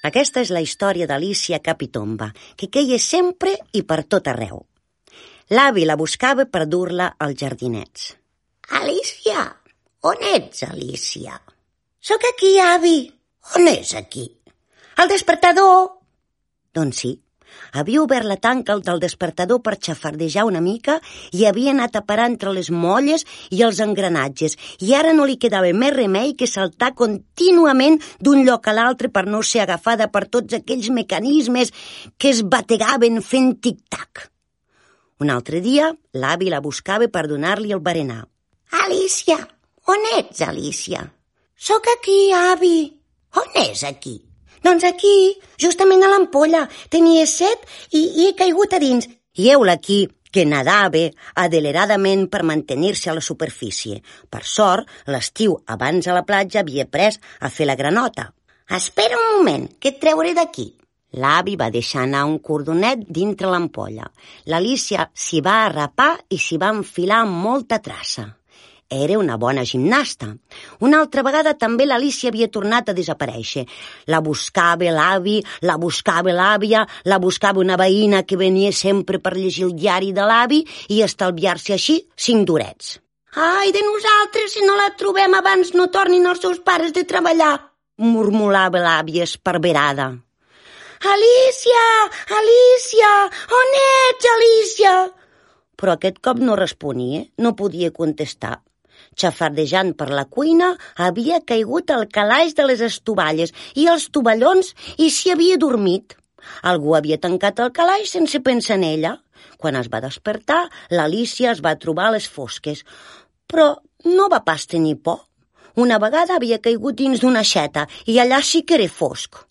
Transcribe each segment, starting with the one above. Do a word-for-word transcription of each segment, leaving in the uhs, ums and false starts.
Aquesta és la història d'Alícia Capitomba, que queia sempre i per tot arreu. L'avi la buscava per dur-la als jardinets. Alícia, on ets, Alícia? Soc aquí, avi. On és aquí? Al despertador. Doncs sí, havia obert la tanca del despertador per xafardejar una mica i havia anat a parar entre les molles i els engranatges i ara no li quedava més remei que saltar contínuament d'un lloc a l'altre per no ser agafada per tots aquells mecanismes que es bategaven fent tic-tac. Un altre dia, l'avi la buscava per donar-li el berenar. Alícia, on ets, Alícia? Soc aquí, avi. On és aquí? Doncs aquí, justament a l'ampolla. Tenia set i, i he caigut a dins. I heula aquí, que nadava adeleradament per mantenir-se a la superfície. Per sort, l'estiu abans a la platja havia pres a fer la granota. Espera un moment, que et treuré d'aquí. L'avi va deixar anar un cordonet dintre l'ampolla. L'Alícia s'hi va arrapar i s'hi va enfilar amb molta traça. Era una bona gimnasta. Una altra vegada també l'Alícia havia tornat a desaparèixer. La buscava l'avi, la buscava l'àvia, la buscava una veïna que venia sempre per llegir el diari de l'avi i estalviar-se així cinc durets. Ai, de nosaltres, si no la trobem abans no tornin els seus pares de treballar, murmurava l'àvia esparverada. Alícia, Alícia, on ets, Alícia? Però aquest cop no responia, no podia contestar. Xafardejant per la cuina, havia caigut al calaix de les estovalles i els tovallons i s'hi havia dormit. Algú havia tancat el calaix sense pensar en ella. Quan es va despertar, l'Alícia es va trobar a les fosques. Però no va pas tenir por. Una vegada havia caigut dins d'una aixeta i allà sí que era fosc.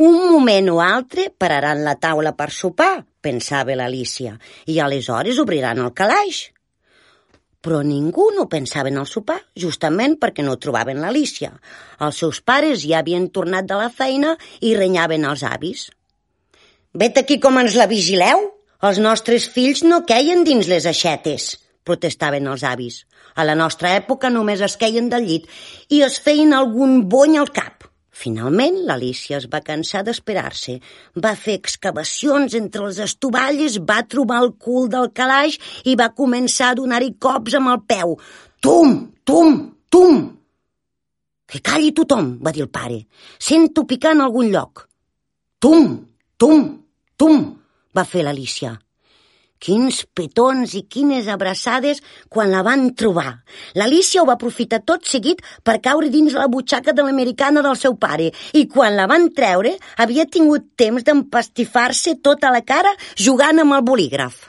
Un moment o altre pararan la taula per sopar, pensava l'Alícia, i aleshores obriran el calaix. Però ningú no pensava en el sopar, justament perquè no trobaven l'Alícia. Els seus pares ja havien tornat de la feina i renyaven els avis. «Vet aquí com ens la vigileu? Els nostres fills no queien dins les aixetes», protestaven els avis. A la nostra època només es queien del llit i es feien algun bony al cap. Finalment, l'Alícia es va cansar d'esperar-se. Va fer excavacions entre les estovalles, va trobar el cul del calaix i va començar a donar-hi cops amb el peu. Tum, tum, tum! Que calli tothom, va dir el pare. Sento picar en algun lloc. Tum, tum, tum, va fer l'Alícia. Quins petons i quines abraçades quan la van trobar. L'Alícia ho va aprofitar tot seguit per caure dins la butxaca de l'americana del seu pare i quan la van treure havia tingut temps d'empastifar-se tota la cara jugant amb el bolígraf.